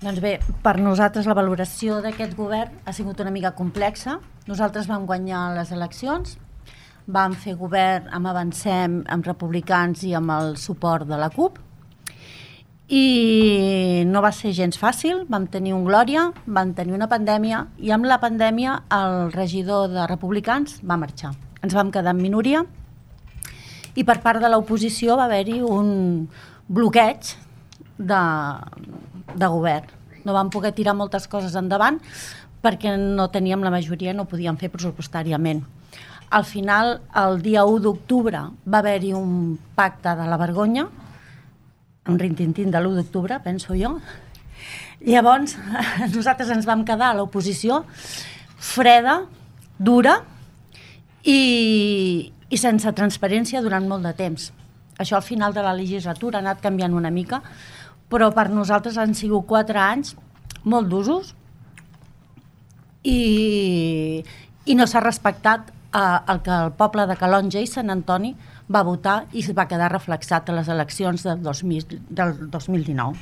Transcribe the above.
Doncs bé, per nosaltres la valoració d'aquest govern ha sigut una mica complexa. Nosaltres vam guanyar les eleccions, vam fer govern amb Avancem, amb Republicans i amb el suport de la CUP, i no va ser gens fàcil. Vam tenir un Glòria, vam tenir una pandèmia, i amb la pandèmia el regidor de Republicans va marxar. Ens vam quedar en minoria i per part de l'oposició va haver-hi un bloqueig de govern. No vam poder tirar moltes coses endavant perquè no teníem la majoria, no podíem fer pressupostàriament. Al final, el dia 1 d'octubre va haver-hi un pacte de la vergonya, un rintintín de l'1 d'octubre, penso jo. Llavors, nosaltres ens vam quedar a l'oposició freda, dura i sense transparència durant molt de temps. Això al final de la legislatura ha anat canviant una mica, però per nosaltres han sigut 4 anys molt d'usos i no s'ha respectat el que el poble de Calonge i Sant Antoni va votar i va quedar reflexat a les eleccions del 2019.